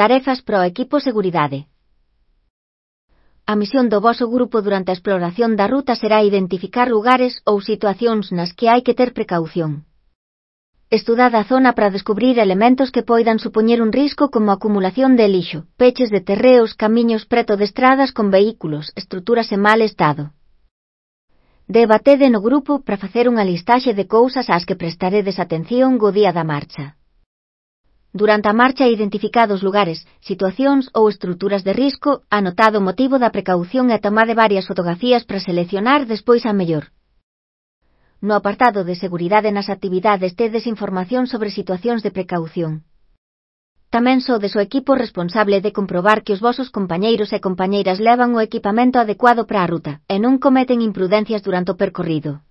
Tarefas para o equipo seguridade. A misión do voso grupo durante a exploración da ruta será identificar lugares ou situacións nas que hai que ter precaución. Estudad a zona para descubrir elementos que poidan supoñer un risco como a acumulación de lixo, peches de terreos, camiños preto de estradas con vehículos, estruturas en mal estado. Debatede no grupo para facer unha listaxe de cousas ás que prestaredes atención go día da marcha. Durante a marcha identificados lugares, situacións ou estruturas de risco, anotado o motivo da precaución e tomade varias fotografías para seleccionar despois a mellor. No apartado de seguridade nas actividades tedes información sobre situacións de precaución. Tamén sodes o equipo responsable de comprobar que os vosos compañeiros e compañeiras levan o equipamento adecuado para a ruta, e non cometen imprudencias durante o percorrido.